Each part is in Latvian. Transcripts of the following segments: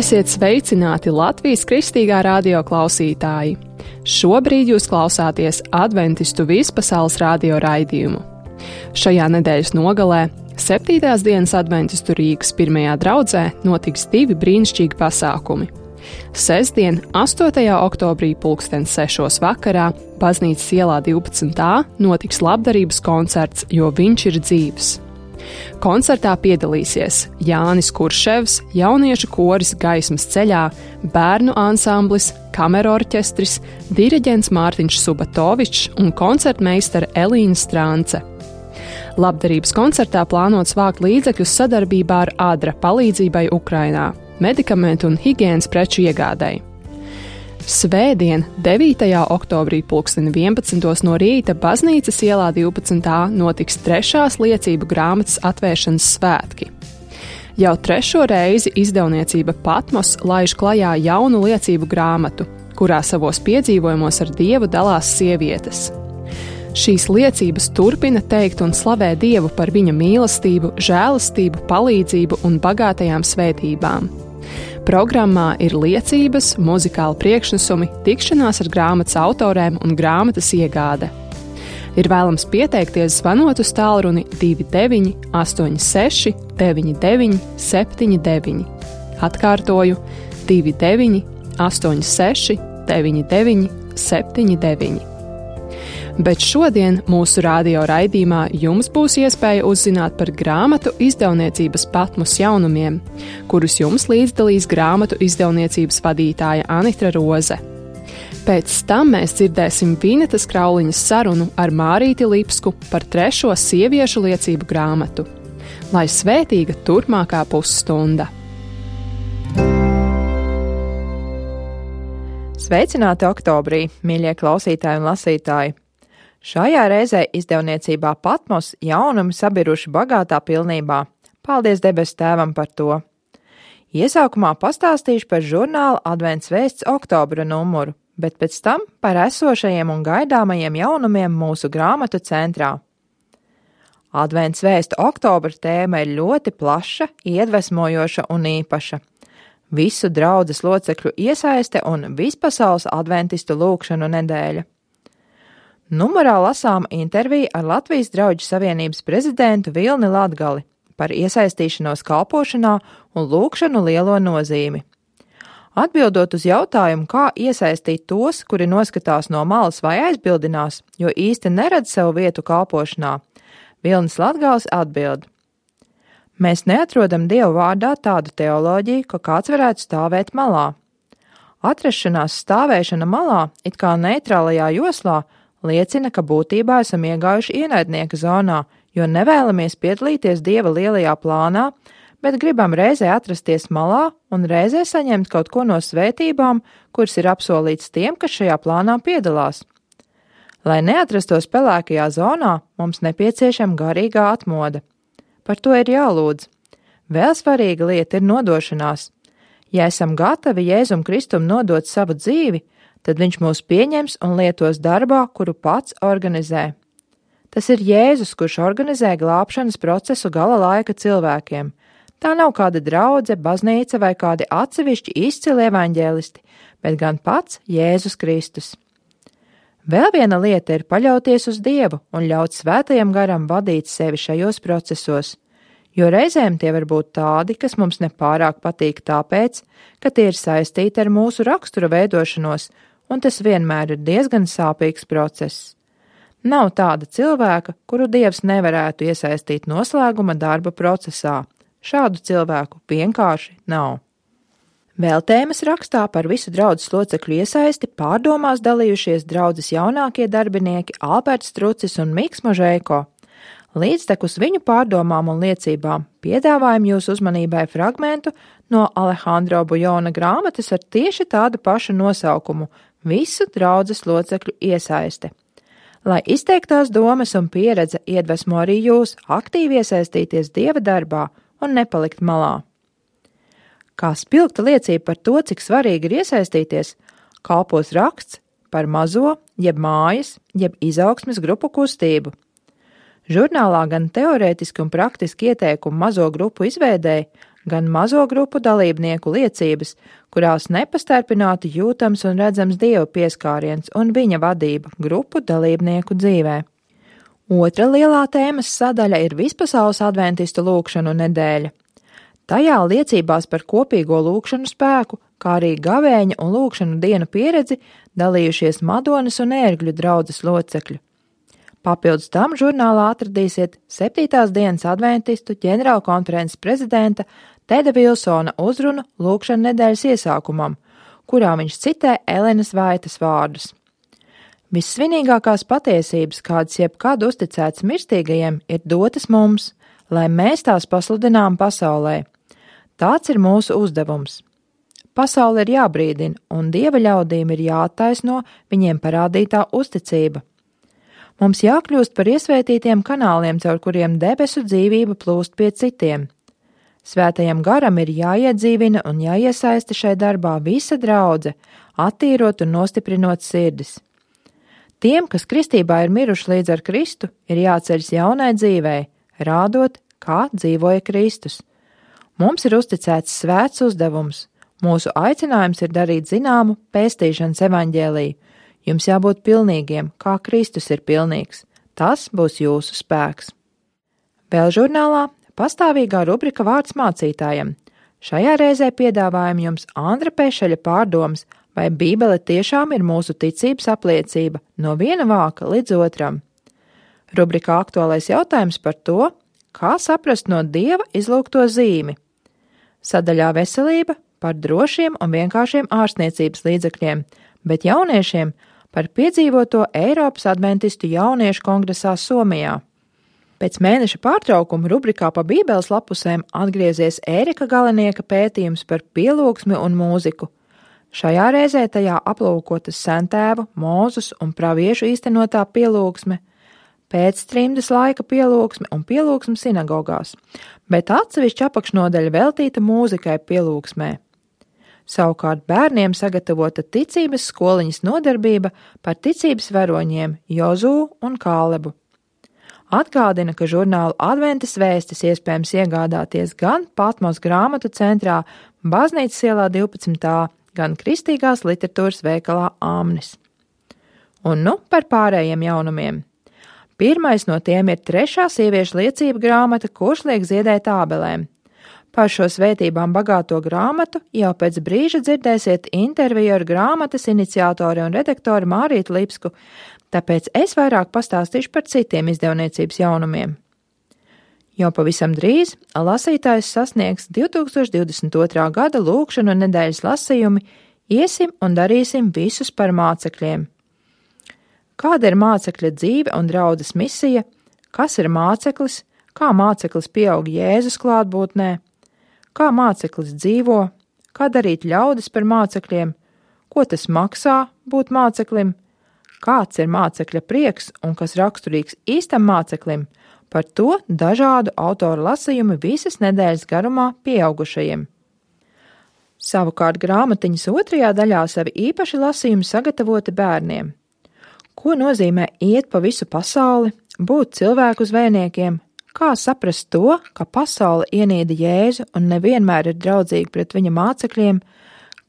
Esiet sveicināti Latvijas Kristīgā radio klausītāji! Šobrīd jūs klausāties Adventistu vispasaules radio raidījumu. Šajā nedēļas nogalē, 7. dienas Adventistu Rīgas pirmajā draudzē, notiks 2 brīnišķīgi pasākumi. Sestdien, 8. oktobrī 6:00 vakarā, Baznīcas ielā 12a, notiks labdarības koncerts, jo viņš ir dzīvs. Koncertā piedalīsies Jānis Kurševs, jauniešu koris Gaismas ceļā, bērnu ansamblis, kamerorķestris, diriģents Mārtiņš Subatovičs un koncertmeistare Elīna Strance. Labdarības koncertā plānots vākt līdzekļus sadarbībā ar ADRA palīdzībai Ukrainā, medikamentu un higienas preču iegādai. Svētdien, 9. oktobrī 11:00 no rīta Baznīcas ielā 12a notiks 3. liecību grāmatas atvēršanas svētki. Jau 3. reizi izdevniecība Patmos laiž klajā jaunu liecību grāmatu, kurā savos piedzīvojumos ar Dievu dalās sievietes. Šīs liecības turpina teikt un slavē Dievu par viņa mīlestību, žēlastību, palīdzību un bagātajām svētībām. Programmā ir liecības, muzikāli priekšnesumi, tikšanās ar grāmatas autoriem un grāmatas iegāde. Ir vēlams pieteikties zvanot uz tālruni 29 86 99 79. Atkārtoju 29 86 99 79. Bet šodien mūsu radio raidījumā jums būs iespēja uzzināt par grāmatu izdevniecības Patmos jaunumiem, kurus jums līdzdalīs grāmatu izdevniecības vadītāja Anitra Roze. Pēc tam mēs dzirdēsim Vinetas Krauliņas sarunu ar Mārīti Lipsku par 3. sieviešu liecību grāmatu. Lai svētīga turpmākā pusstunda! Sveicināti oktobrī, mīļie klausītāji un lasītāji! Šajā reizē izdevniecībā Patmos jaunumi sabiruši bagātā pilnībā. Paldies debes Tēvam par to! Iesākumā pastāstīšu par žurnāla Advents vēsts oktobra numuru, bet pēc tam par esošajiem un gaidāmajiem jaunumiem mūsu grāmatu centrā. Advents vēstu oktobra tēma ir ļoti plaša, iedvesmojoša un īpaša. Visu draudzes locekļu iesaiste un vispasaules adventistu lūgšanu nedēļa. Numurā lasām interviju ar Latvijas Drauģu savienības prezidentu Vilni Latgali par iesaistīšanos kalpošanā un lūgšanu lielo nozīmi. Atbildot uz jautājumu, kā iesaistīt tos, kuri noskatās no malas vai aizbildinās, jo īsti neredz savu vietu kalpošanā, Vilnis Latgals atbild: Mēs neatrodam Dievu vārdā tādu teoloģiju, ka kāds varētu stāvēt malā. Atrašanās stāvēšana malā, it kā neitrālajā joslā, liecina, ka būtībā esam iegājuši ienaidnieka zonā, jo nevēlamies piedalīties Dieva lielajā plānā, bet gribam reizē atrasties malā un reizē saņemt kaut ko no svētībām, kuras ir apsolīts tiem, kas šajā plānā piedalās. Lai neatrastos pelēkajā zonā, mums nepieciešama garīgā atmoda. Par to ir jālūdz. Vēl svarīga lieta ir nodošanās. Ja esam gatavi Jēzum Kristum nodot savu dzīvi, tad viņš mūs pieņems un lietos darbā, kuru pats organizē. Tas ir Jēzus, kurš organizē glābšanas procesu gala laika cilvēkiem. Tā nav kāda draudze, baznīca vai kādi atsevišķi izcili evaņģēlisti, bet gan pats Jēzus Kristus. Vēl viena lieta ir paļauties uz Dievu un ļaut svētajam garam vadīt sevi šajos procesos, jo reizēm tie var būt tādi, kas mums nepārāk patīk tāpēc, ka tie ir saistīti ar mūsu rakstura veidošanos, un tas vienmēr ir diezgan sāpīgs process. Nav tāda cilvēka, kuru Dievs nevarētu iesaistīt noslēguma darba procesā. Šādu cilvēku vienkārši nav. Vēl tēmas rakstā par visu draudzes locekļu iesaisti pārdomās dalījušies draudzes jaunākie darbinieki Alberts Strucis un Miks Možēko. Līdztekus viņu pārdomām un liecībām piedāvājam jūsu uzmanībai fragmentu no Alejandro Bujona grāmatas ar tieši tādu pašu nosaukumu – Visu draudzes locekļu iesaiste. Lai izteiktās domas un pieredze iedvesmo arī jūs aktīvi iesaistīties Dieva darbā un nepalikt malā. Kā spilgta liecība par to, cik svarīgi ir iesaistīties, kalpos raksts par mazo, jeb mājas, jeb izaugsmes grupu kustību. Žurnālā gan teorētiski un praktiski ieteikumi mazo grupu izveidēji, gan mazo grupu dalībnieku liecības, kurās nepastarpināti jūtams un redzams Dieva pieskāriens un viņa vadība grupu dalībnieku dzīvē. Otra lielā tēmas sadaļa ir vispasaules adventistu lūkšanu nedēļa. Tajā liecībās par kopīgo lūkšanu spēku, kā arī gavēņa un lūkšanu dienu pieredzi dalījušies Madonas un Ērgļu draudzes locekļi. Papildus tam žurnālā atradīsiet 7. dienas adventistu ģenerālkonferences prezidenta Teda Vilsona uzrunu lūkšanu nedēļas iesākumam, kurā viņš citē Elenas Vaitas vārdus. Vissvinīgākās patiesības, kādas jebkad uzticētas mirstīgajiem, ir dotas mums, lai mēs tās pasludinām pasaulē. Tāds ir mūsu uzdevums. Pasaule ir jābrīdina, un Dieva ļaudīm ir jāattaisno viņiem parādītā uzticība. Mums jākļūst par iesvētītiem kanāliem, caur kuriem debesu dzīvība plūst pie citiem. Svētajam garam ir jāiedzīvina un jāiesaista šai darbā visa draudze, attīrot un nostiprinot sirdis. Tiem, kas kristībā ir miruši līdz ar Kristu, ir jāceļas jaunai dzīvei, rādot, kā dzīvoja Kristus. Mums ir uzticēts svēts uzdevums. Mūsu aicinājums ir darīt zināmu pestīšanas evaņģēliju. Jums jābūt pilnīgiem, kā Kristus ir pilnīgs. Tas būs jūsu spēks. Vēl žurnālā pastāvīgā rubrika Vārds mācītājam. Šajā reizē piedāvājam jums Andra Pešeļa pārdomas, vai Bībele tiešām ir mūsu ticības apliecība no viena vāka līdz otram. Rubrikā aktuālais jautājums par to, kā saprast no Dieva izlūgto zīmi. Sadaļā veselība par drošiem un vienkāršiem ārstniecības līdzekļiem, bet jauniešiem par piedzīvoto Eiropas adventistu jauniešu kongresā Somijā. Pēc mēneša pārtraukuma rubrikā pa Bībeles lapusēm atgriezies Ērika Galenieka pētījums par pielūgsmi un mūziku. Šajā reizē tajā aplūkotas sentēvu, Mūzus un praviešu īstenotā pielūgsme, pēctrimdes laika pielūgsme un pielūgsme sinagogās, bet atsevišķa apakšnodaļa veltīta mūzikai pielūgsmē. Savukārt bērniem sagatavota ticības skoliņas nodarbība par ticības varoņiem Jozū un Kālebu. Atgādina, ka žurnālu Adventas vēstis iespējams iegādāties gan Patmos grāmatu centrā Baznīcas ielā 12. gan Kristīgās literatūras veikalā Āmnis. Un nu par pārējiem jaunumiem. Pirmais no tiem ir 3. sieviešu liecība grāmata, kurš liek ziedēt ābelēm. Par šo svētībām bagāto grāmatu jau pēc brīža dzirdēsiet interviju ar grāmatas iniciatori un redaktori Mārītu Lipsku, tāpēc es vairāk pastāstīšu par citiem izdevniecības jaunumiem. Jau pavisam drīz lasītājs sasniegs 2022. gada lūkšanu nedēļas lasījumi Iesim un darīsim visus par mācekļiem. Kāda ir mācekļa dzīve un draudzes misija, kas ir māceklis, kā māceklis pieaug Jēzus klātbūtnē, kā māceklis dzīvo, kā darīt ļaudis par mācekļiem, ko tas maksā būt māceklim, kāds ir mācekļa prieks un kas raksturīgs īstam māceklim, par to dažādu autoru lasījumi visas nedēļas garumā pieaugušajiem. Savukārt grāmatiņas 2. daļā savi īpaši lasījumi sagatavoti bērniem. Ko nozīmē iet pa visu pasauli, būt cilvēku zvejniekiem, kā saprast to, ka pasaule ienīda Jēzu un nevienmēr ir draudzīga pret viņa mācekļiem,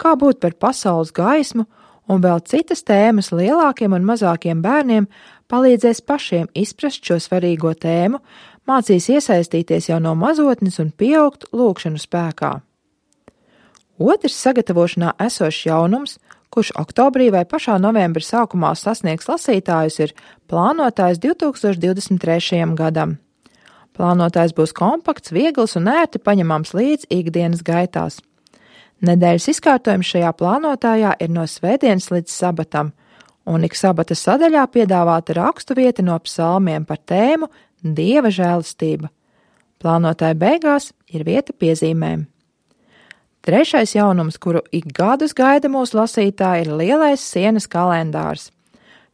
kā būt par pasaules gaismu un vēl citas tēmas lielākiem un mazākiem bērniem palīdzēs pašiem izprast šo svarīgo tēmu, mācīs iesaistīties jau no mazotnes un pieaugt lūkšanu spēkā. Otrs sagatavošanā esošs jaunums, kurš oktobrī vai pašā novembra sākumā sasniegs lasītājus, ir plānotājs 2023. gadam. Plānotājs būs kompakts, viegls un ērti paņemams līdz ikdienas gaitās. Nedēļas izkārtojums šajā plānotājā ir no svētdienas līdz sabatam, un ik sabata sadaļā piedāvāta rakstu vieta no psalmiem par tēmu Dieva žēlastība. Plānotāja beigās ir vieta piezīmēm. Trešais jaunums, kuru ik gadus gaida mūsu lasītāji, ir lielais sienas kalendārs.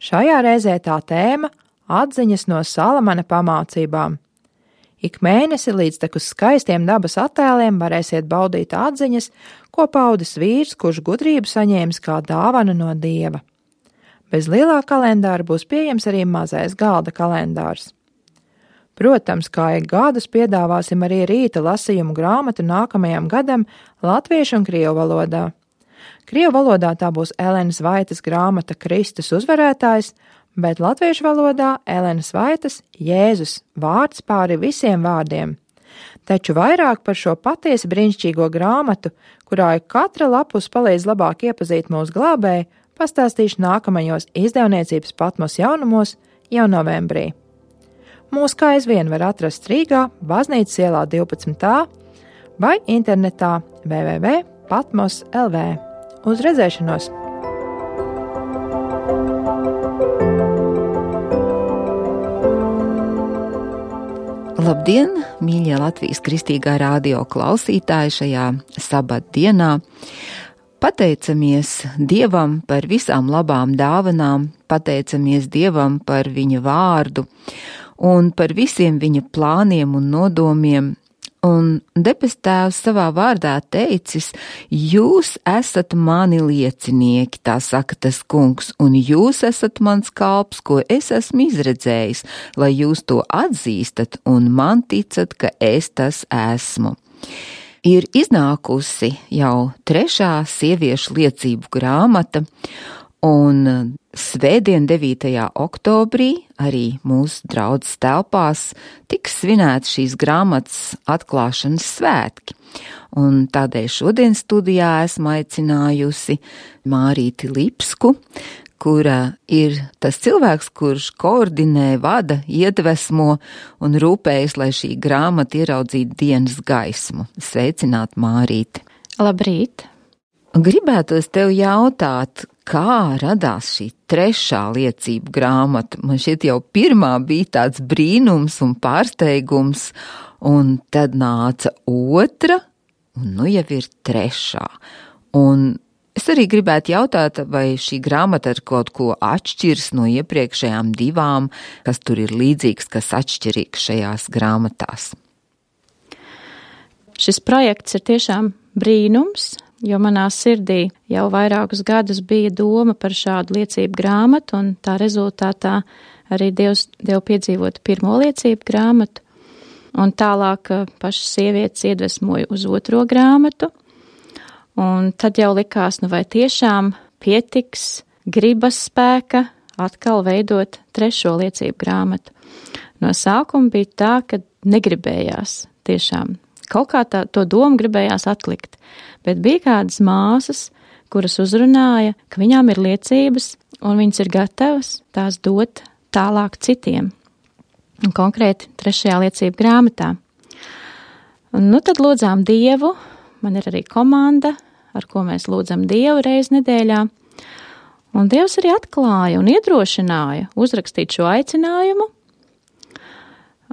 Šajā reizē tā tēma – atziņas no Salamana pamācībām. Ik mēnesi līdz tekus skaistiem dabas attēliem varēsiet baudīt atziņas, ko paudis vīrs, kurš gudrību saņēmis kā dāvanu no Dieva. Bez lielā kalendāra būs pieejams arī mazais galda kalendārs. Protams, kā ik gadus piedāvāsim arī rīta lasījumu grāmatu nākamajam gadam latviešu un krievu valodā. Krievu valodā tā būs Elenas Vaitas grāmata Kristus uzvarētājs, bet latviešu valodā Elenas Vaitas Jēzus vārds pāri visiem vārdiem. Taču vairāk par šo patiesi brīnišķīgo grāmatu, kurā katra lapus palīdz labāk iepazīt mūsu glābēju, pastāstīšu nākamajos izdevniecības Patmos jaunumos jau novembrī. Mūs kā aizvien var atrast Rīgā, Baznīcas ielā 12. vai internetā www.patmos.lv. Uz redzēšanos! Labdien, mīļie Latvijas Kristīgā radio klausītāji šajā sabatdienā! Pateicamies Dievam par visām labām dāvanām, pateicamies Dievam par viņa vārdu un par visiem viņa plāniem un nodomiem. Un debes Tēvs savā vārdā teicis, jūs esat mani liecinieki, tā saka tas kungs, un jūs esat mans kalps, ko es esmu izredzējis, lai jūs to atzīstat un man ticat, ka es tas esmu. Ir iznākusi jau 3. sieviešu liecību grāmata, un svētdien 9. oktobrī arī mūsu draudzes telpās tiks svinēts šīs grāmatas atklāšanas svētki. Un tādēļ šodien studijā esmu aicinājusi Mārīti Lipsku, kura ir tas cilvēks, kurš koordinē, vada, iedvesmo un rūpējas, lai šī grāmata ieraudzītu dienas gaismu. Sveicināt, Mārīti! Labrīt! Gribētos tev jautāt, kā radās šī 3. liecību grāmata? Man šķiet jau 1. bija tāds brīnums un pārsteigums, un tad nāca 2, un nu jau ir 3. Un es arī gribētu jautāt, vai šī grāmata ar kaut ko atšķiras no iepriekšējām 2, kas tur ir līdzīgs, kas atšķirīgs šajās grāmatās. Šis projekts ir tiešām brīnums, jo manā sirdī jau vairākus gadus bija doma par šādu liecību grāmatu, un tā rezultātā arī Dievs piedzīvot 1. liecību grāmatu, un tālāk pašas sievietes iedvesmoja uz 2. grāmatu, un tad jau likās, vai tiešām pietiks gribas spēka atkal veidot 3. liecību grāmatu. No sākuma bija tā, ka negribējās tiešām. Kaut kā to domu gribējās atlikt, bet bija kādas māsas, kuras uzrunāja, ka viņām ir liecības un viņas ir gatavas tās dot tālāk citiem. Un konkrēti 3. liecību grāmatā. Un nu tad lūdzām Dievu, man ir arī komanda, ar ko mēs lūdzam Dievu reizi nedēļā. Un Dievs arī atklāja un iedrošināja uzrakstīt šo aicinājumu.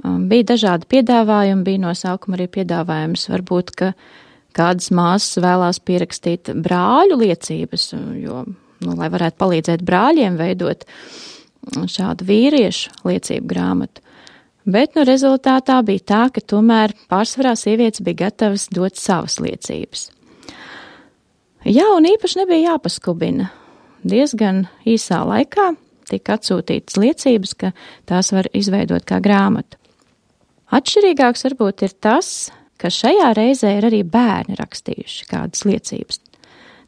Bija dažādi piedāvājumi, bija no sākuma arī piedāvājums, varbūt, ka kādas māsas vēlās pierakstīt brāļu liecības, jo, lai varētu palīdzēt brāļiem veidot šādu vīriešu liecību grāmatu. Bet, rezultātā bija tā, ka tomēr pārsvarā sievietes bija gatavas dot savas liecības. Jā, un īpaši nebija jāpaskubina. Diezgan īsā laikā tika atsūtītas liecības, ka tās var izveidot kā grāmatu. Atšķirīgāks varbūt ir tas, ka šajā reizē ir arī bērni rakstījuši kādas liecības.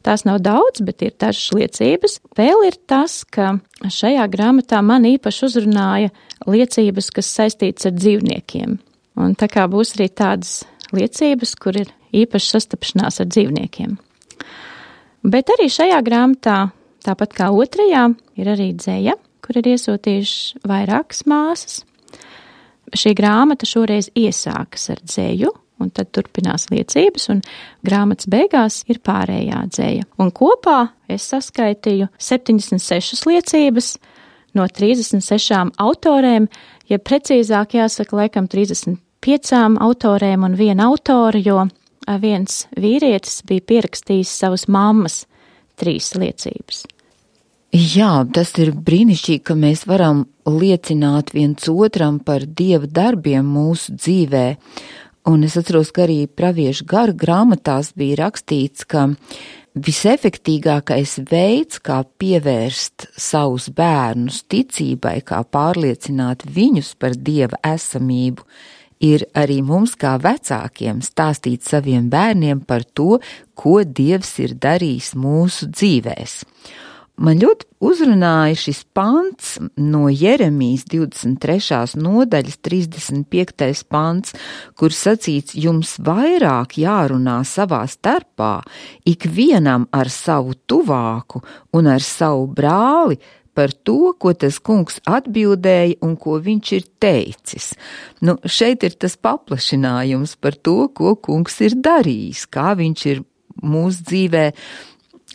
Tās nav daudz, bet ir dažas liecības. Vēl ir tas, ka šajā grāmatā man īpaši uzrunāja liecības, kas saistītas ar dzīvniekiem. Un tā kā būs arī tādas liecības, kur ir īpaši sastapšanās ar dzīvniekiem. Bet arī šajā grāmatā, tāpat kā 2, ir arī dzeja, kur ir iesūtījuši vairākas māsas. Šī grāmata šoreiz iesākas ar dzeju, un tad turpinās liecības, un grāmatas beigās ir pārējā dzeja. Un kopā es saskaitīju 76 liecības no 36 autorēm, ja precīzāk jāsaka, laikam 35 autorēm un 1 autora, jo viens vīrietis bija pierakstījis savas mammas 3 liecības. Jā, tas ir brīnišķīgi, ka mēs varam liecināt viens otram par Dieva darbiem mūsu dzīvē. Un es atceros, ka arī praviešu garu grāmatās bija rakstīts, ka visefektīgākais veids, kā pievērst savus bērnus ticībai, kā pārliecināt viņus par Dieva esamību, ir arī mums kā vecākiem stāstīt saviem bērniem par to, ko Dievs ir darījis mūsu dzīvēs. Man ļoti uzrunāja šis pants no Jeremijas 23. nodaļas 35. pants, kur sacīts, jums vairāk jārunā savā starpā, ikvienam ar savu tuvāku un ar savu brāli, par to, ko tas kungs atbildēja un ko viņš ir teicis. Šeit ir tas paplašinājums par to, ko kungs ir darījis, kā viņš ir mūsu dzīvē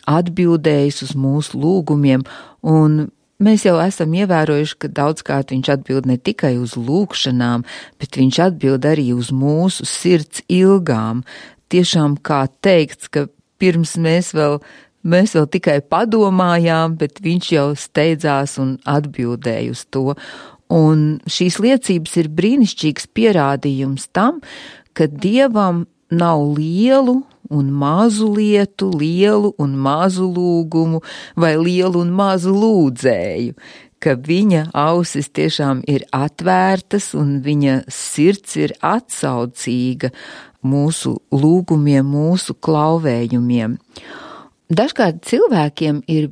atbildējis uz mūsu lūgumiem, un mēs jau esam ievērojuši, ka daudzkārt viņš atbild ne tikai uz lūgšanām, bet viņš atbild arī uz mūsu sirds ilgām. Tiešām kā teikts, ka pirms mēs vēl tikai padomājām, bet viņš jau steidzās un atbildēja uz to. Un šīs liecības ir brīnišķīgs pierādījums tam, ka Dievam nav lielu un mazu lietu, lielu un mazu lūgumu vai lielu un mazu lūdzēju, ka viņa ausis tiešām ir atvērtas un viņa sirds ir atsaucīga mūsu lūgumiem, mūsu klauvējumiem. Dažkārt cilvēkiem ir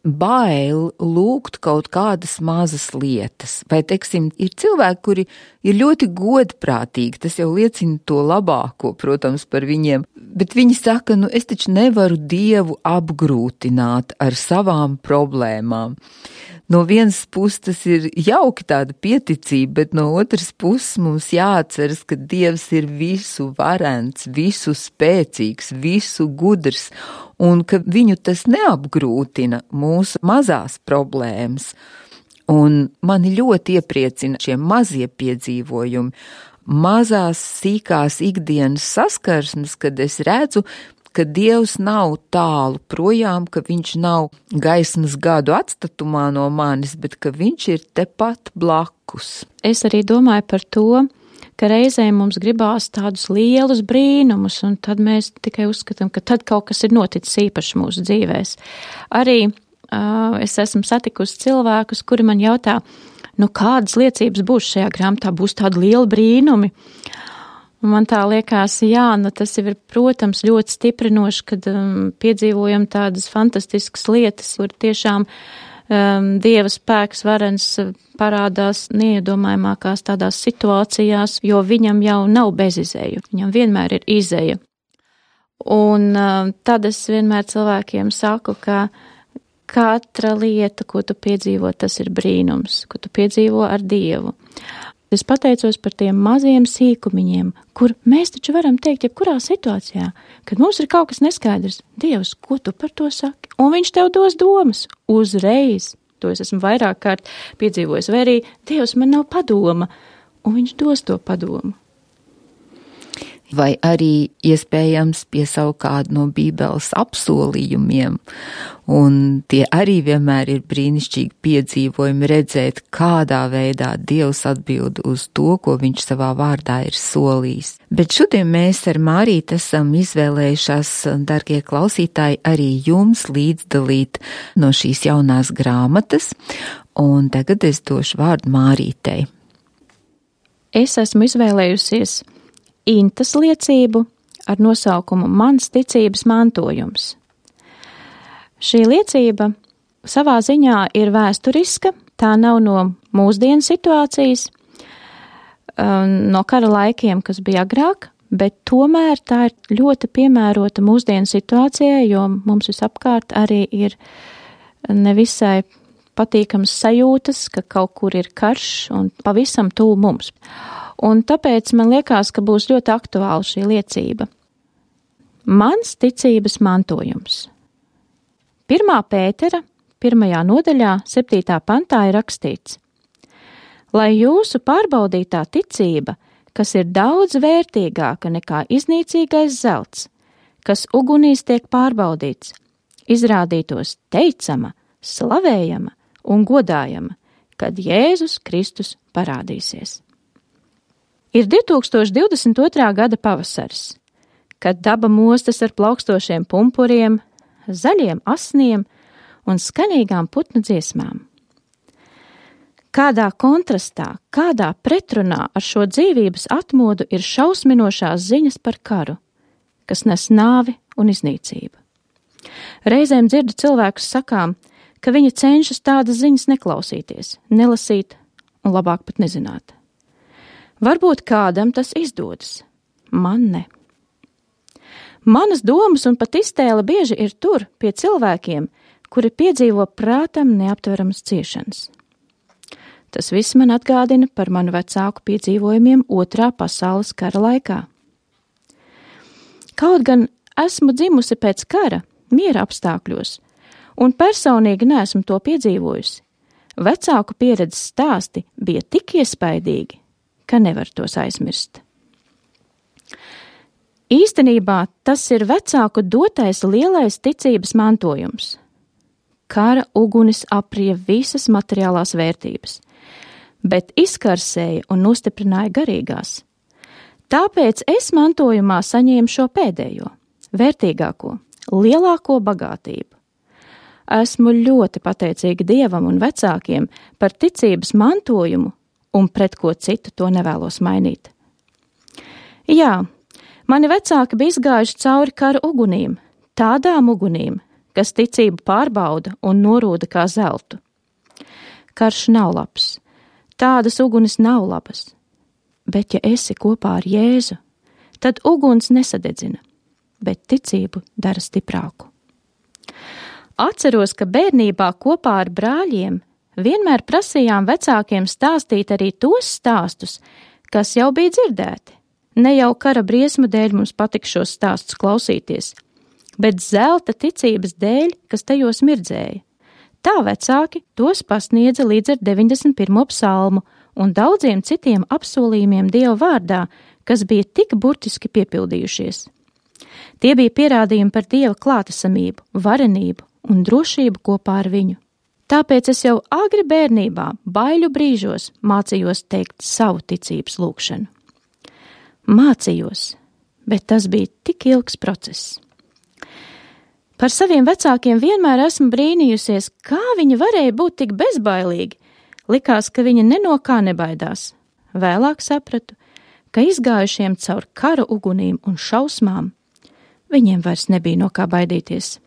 bail lūgt kaut kādas mazas lietas, vai, teiksim, ir cilvēki, kuri ir ļoti godprātīgi, tas jau liecina to labāko, protams, par viņiem, bet viņi saka, es taču nevaru Dievu apgrūtināt ar savām problēmām. No vienas puses tas ir jauki tāda pieticība, bet no otras puses mums jāatceras, ka Dievs ir visu varens, visu spēcīgs, visu gudrs, un ka viņu tas neapgrūtina mūsu mazās problēmas. Un mani ļoti iepriecina šie mazie piedzīvojumi, mazās sīkās ikdienas saskarsmes, kad es redzu, ka Dievs nav tālu projām, ka viņš nav gaismas gadu atstatumā no manis, bet ka viņš ir tepat blakus. Es arī domāju par to, ka reizēm mums gribās tādus lielus brīnumus, un tad mēs tikai uzskatām, ka tad kaut kas ir noticis īpaši mūsu dzīvēs. Arī es esmu satikusi cilvēkus, kuri man jautā, kādas liecības būs šajā grāmatā, būs tādi lieli brīnumi. Un man tā liekas, tas jau ir, protams, ļoti stiprinoši, kad piedzīvojam tādas fantastiskas lietas, kur tiešām Dieva spēks varens parādās neiedomājamākās tādās situācijās, jo viņam jau nav bezizēju, viņam vienmēr ir izēja. Un tad es vienmēr cilvēkiem saku, ka katra lieta, ko tu piedzīvo, tas ir brīnums, ko tu piedzīvo ar Dievu. Es pateicos par tiem maziem sīkumiņiem, kur mēs taču varam teikt, jebkurā situācijā, kad mums ir kaut kas neskaidrs, Dievs, ko tu par to saki? Un viņš tev dos domas uzreiz. To es esmu vairāk kārt piedzīvojis, vai arī Dievs man nav padoma, un viņš dos to padomu. Vai arī iespējams piesaukt kādu no Bībeles apsolījumiem, un tie arī vienmēr ir brīnišķīgi piedzīvojumi redzēt, kādā veidā Dievs atbild uz to, ko viņš savā vārdā ir solījis. Bet šodien mēs ar Mārīti esam izvēlējušās, darbie klausītāji, arī jums līdzdalīt no šīs jaunās grāmatas, un tagad es došu vārdu Mārītei. Es esmu izvēlējusies Intas liecību ar nosaukumu Mans ticības mantojums. Šī liecība savā ziņā ir vēsturiska, tā nav no mūsdienu situācijas, no kara laikiem, kas bija agrāk, bet tomēr tā ir ļoti piemērota mūsdienu situācijai, jo mums visapkārt arī ir nevisai patīkams sajūtas, ka kaut kur ir karš un pavisam tuvu mums. Un tāpēc man liekas, ka būs ļoti aktuāla šī liecība. Mans ticības mantojums. 1. Pētera 1. nodaļā 7. pantā ir rakstīts: Lai jūsu pārbaudītā ticība, kas ir daudz vērtīgāka nekā iznīcīgais zelts, kas ugunīs tiek pārbaudīts, izrādītos teicama, slavējama un godājama, kad Jēzus Kristus parādīsies. Ir 2022. gada pavasaris, kad daba mostas ar plaukstošiem pumpuriem, zaļiem asniem un skanīgām putnu dziesmām. Kādā kontrastā, kādā pretrunā ar šo dzīvības atmodu ir šausminošās ziņas par karu, kas nes nāvi un iznīcību. Reizēm dzirdu cilvēkus sakām, ka viņi cenšas tādas ziņas neklausīties, nelasīt un labāk pat nezināt. Varbūt kādam tas izdodas, man ne. Manas domas un pat iztēle bieži ir tur pie cilvēkiem, kuri piedzīvo prātam neaptveramas ciešanas. Tas viss man atgādina par manu vecāku piedzīvojumiem Otrā pasaules kara laikā. Kaut gan esmu dzimusi pēc kara, miera apstākļos, un personīgi neesmu to piedzīvojusi, vecāku pieredzes stāsti bija tik iespaidīgi, ka nevar tos aizmirst. Īstenībā tas ir vecāku dotais lielais ticības mantojums. Kara ugunis aprija visas materiālās vērtības, bet izkarsēja un nostiprināja garīgās. Tāpēc es mantojumā saņēmu šo pēdējo, vērtīgāko, lielāko bagātību. Esmu ļoti pateicīga Dievam un vecākiem par ticības mantojumu, un pret ko citu to nevēlos mainīt. Jā, mani vecāki bija izgājuši cauri kara ugunīm, tādām ugunīm, kas ticību pārbauda un norūda kā zeltu. Karš nav labs, tādas ugunis nav labas, bet ja esi kopā ar Jēzu, tad uguns nesadedzina, bet ticību dara stiprāku. Atceros, ka bērnībā kopā ar brāļiem vienmēr prasījām vecākiem stāstīt arī tos stāstus, kas jau bija dzirdēti. Ne jau kara briesmu dēļ mums patika šos stāstus klausīties, bet zelta ticības dēļ, kas tajos mirdzēja. Tā vecāki tos pasniedza līdz ar 91. psalmu un daudziem citiem apsolījumiem Dieva vārdā, kas bija tik burtiski piepildījušies. Tie bija pierādījumi par Dieva klātesamību, varenību un drošību kopā ar viņu. Tāpēc es jau agri bērnībā, baiļu brīžos mācījos teikt savu ticības lūgšanu. Mācījos, bet tas bija tik ilgs process. Par saviem vecākiem vienmēr esmu brīnījusies, kā viņi varēja būt tik bezbailīgi. Likās, ka viņi ne no kā nebaidās. Vēlāk sapratu, ka izgājušiem caur kara ugunīm un šausmām, viņiem vairs nebija no kā baidīties.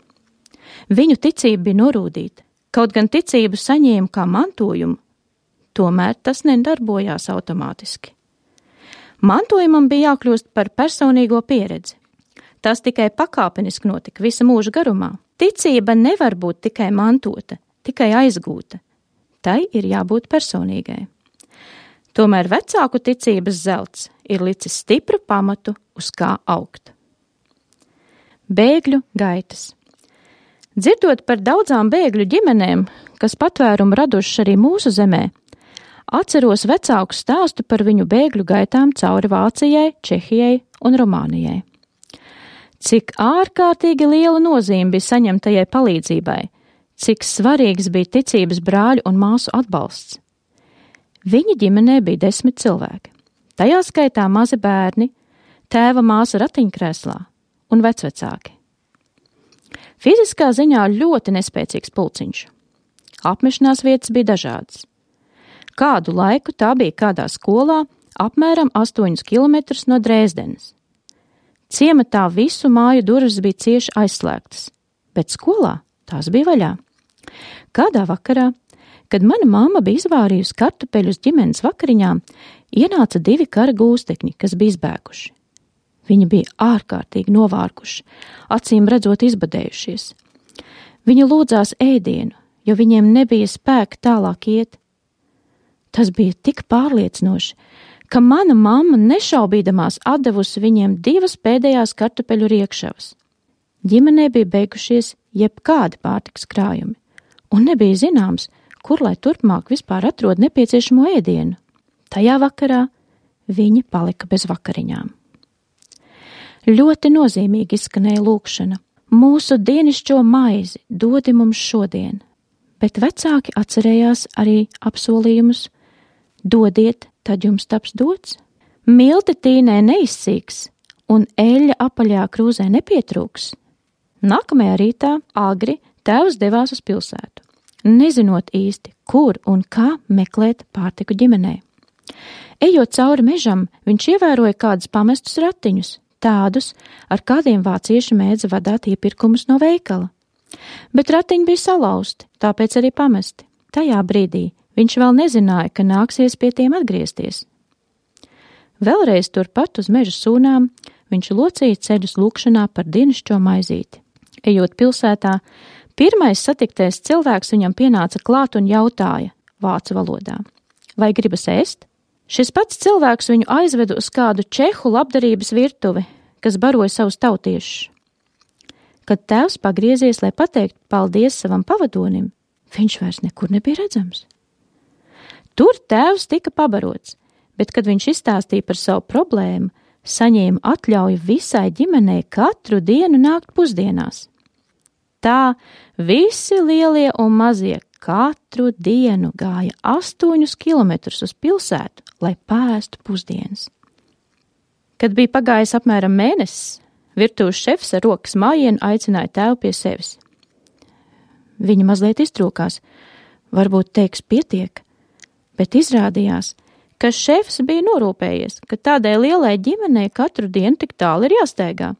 Viņu ticība bija norūdīta, kaut gan ticību saņēma kā mantojumu, tomēr tas nedarbojās automātiski. Mantojumam bija jākļūst par personīgo pieredzi. Tas tikai pakāpeniski notika visa mūža garumā. Ticība nevar būt tikai mantota, tikai aizgūta. Tai ir jābūt personīgai. Tomēr vecāku ticības zelts ir licis stipru pamatu, uz kā augt. Bēgļu gaitas. Dzirdot par daudzām bēgļu ģimenēm, kas patvērumu radušas arī mūsu zemē, atceros vecāku stāstu par viņu bēgļu gaitām cauri Vācijai, Čehijai un Rumānijai. Cik ārkārtīgi liela nozīme bija saņemtajai palīdzībai, cik svarīgs bija ticības brāļu un māsu atbalsts. Viņa ģimenē bija 10 cilvēki, tajā skaitā mazi bērni, tēva māsa ratiņkrēslā un vecvecāki. Fiziskā ziņā ļoti nespēcīgs pulciņš. Apmešanās vietas bija dažādas. Kādu laiku tā bija kādā skolā, apmēram 8 kilometrus no Dresdenes. Ciematā visu māju durvis bija cieši aizslēgtas, bet skolā tās bija vaļā. Kādā vakarā, kad mana mamma bija izvārījusi kartupeļus ģimenes vakariņām, ienāca 2 kara gūstekņi, kas bija izbēguši. Viņi bija ārkārtīgi novārkuši, acīm redzot izbadējušies. Viņi lūdzās ēdienu, jo viņiem nebija spēka tālāk iet. Tas bija tik pārliecinoši, ka mana mamma nešaubīdamās atdevusi viņiem 2 pēdējās kartupeļu riekšavas. Ģimenē bija beigušies jebkādi pārtikas krājumi, un nebija zināms, kur lai turpmāk vispār atrod nepieciešamo ēdienu. Tajā vakarā viņi palika bez vakariņām. Ļoti nozīmīgi izskanēja lūkšana. Mūsu dienišķo maizi dodi mums šodien, bet vecāki atcerējās arī apsolījumus. Dodiet, tad jums taps dots. Milti tīnē neizsīks un eļļa apaļā krūzē nepietrūks. Nākamajā rītā agri tēvs devās uz pilsētu, nezinot īsti, kur un kā meklēt pārtiku ģimenei. Ejot cauri mežam, viņš ievēroja kādus pamestus ratiņus, tādus, ar kādiem vācieši mēdza vadāt iepirkumus no veikala. Bet ratiņi bija salauzti, tāpēc arī pamesti. Tajā brīdī viņš vēl nezināja, ka nāksies pie tiem atgriezties. Vēlreiz turpat uz meža sūnām viņš locīja ceļus lūkšanā par dienascho maizīti. Ejot pilsētā, pirmais satiktais cilvēks viņam pienāca klāt un jautāja vācu valodā: vai gribas ēst? Šis pats cilvēks viņu aizveda uz kādu čehu labdarības virtuvi, kas baroja savus tautiešus. Kad tēvs pagriezies, lai pateiktu paldies savam pavadonim, viņš vairs nekur nebija redzams. Tur tēvs tika pabarots, bet, kad viņš izstāstīja par savu problēmu, saņēma atļauju visai ģimenei katru dienu nākt pusdienās. Tā visi lielie un mazie katru dienu gāja 8 kilometrus uz pilsētu, lai pāēstu pusdienas. Kad bija pagājis apmēram mēnesis, virtuves šefs ar rokas mājienu aicināja tēvu pie sevis. Viņa mazliet iztrūkās, varbūt teiks pietiek, bet izrādījās, ka šefs bija norūpējies, ka tādai lielai ģimenei katru dienu tik tālu ir jāsteigā.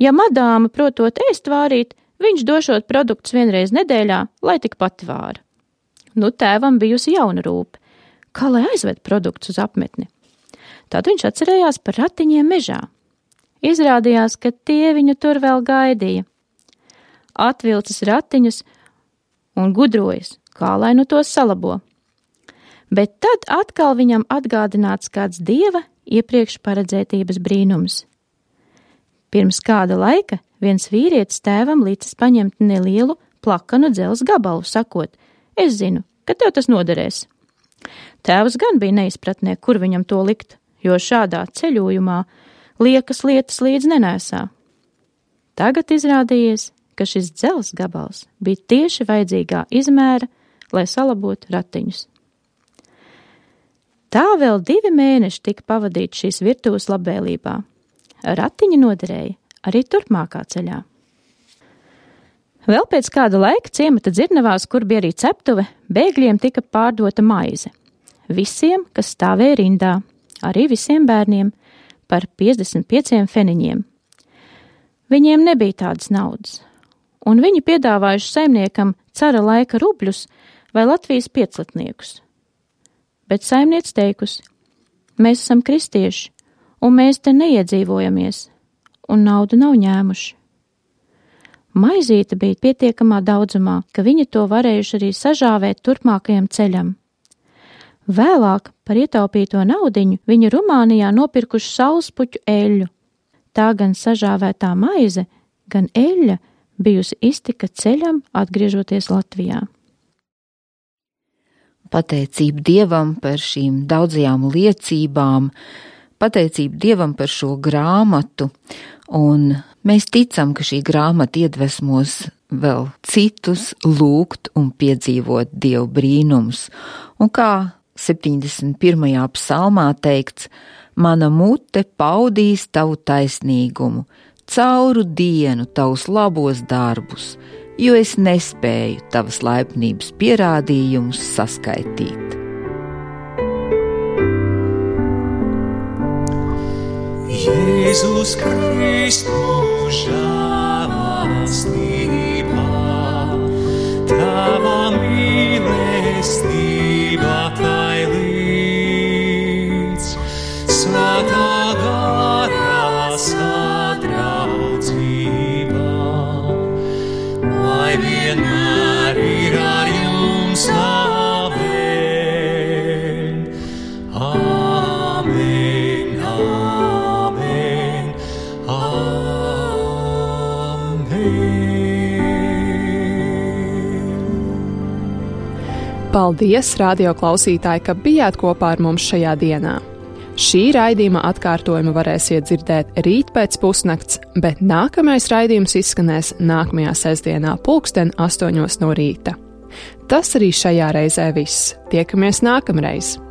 Ja madāma protot ēst vārīt, viņš došot produktus vienreiz nedēļā, lai tik pati vāra. Nu, tēvam bijusi jauna rūpe, kā lai aizved produktus uz apmetni. Tad viņš atcerējās par ratiņiem mežā. Izrādījās, ka tie viņu tur vēl gaidīja. Atvilcis ratiņus un gudrojas, kā lai nu tos salabo. Bet tad atkal viņam atgādināts kāds dieva iepriekš paredzētības brīnums. Pirms kāda laika viens vīrietis tēvam līdzis paņemt nelielu plakanu dzelzs gabalu, sakot: es zinu, ka tev tas noderēs. Tēvs gan bija neizpratnē, kur viņam to likt, jo šādā ceļojumā liekas lietas līdz nenēsā. Tagad izrādījies, ka šis dzelzs gabals bija tieši vajadzīgā izmēra, lai salabotu ratiņus. Tā vēl 2 mēneši tika pavadīti šīs virtuves labvēlībā. Ratiņi noderēja arī turpmākā ceļā. Vēl pēc kāda laika ciemata dzirnavās, kur bija arī ceptuve, bēgļiem tika pārdota maize. Visiem, kas stāvēja rindā, arī visiem bērniem, par 55 feniņiem. Viņiem nebija tādas naudas, un viņi piedāvājuši saimniekam cara laika rubļus vai Latvijas pieclatniekus. Bet saimniec teikusi: mēs esam kristieši, un mēs te neiedzīvojamies, un naudu nav ņēmuši. Maizīte bija pietiekamā daudzumā, ka viņi to varējuši arī sažāvēt turpmākajam ceļam. Vēlāk par ietaupīto naudiņu viņi Rumānijā nopirkuši saulspuķu eļļu. Tā gan sažāvētā maize, gan eļļa bijusi iztika ceļam, atgriežoties Latvijā. Pateicība Dievam par šīm daudzajām liecībām, pateicība Dievam par šo grāmatu, un mēs ticam, ka šī grāmata iedvesmos vēl citus lūgt un piedzīvot Dievu brīnums. Un kā 71. psalmā teikts: mana mute paudīs tavu taisnīgumu, cauru dienu tavus labos darbus, jo es nespēju tavas laipnības pierādījumus saskaitīt. Jēzus Kristus žēlastībā, tava mīlestība tai līdz, svētā garā sadraudzība, lai vienmēr ir ar jums amen. Amen, amen, amen. Paldies, radio klausītāji, ka bijāt kopā ar mums šajā dienā. Šī raidījuma atkārtojumu varēsiet dzirdēt rīt pēc pusnakts, bet nākamais raidījums izskanēs nākamajā sestdienā 8:00 no rīta. Tas arī šajā reizē viss. Tiekamies nākamreiz!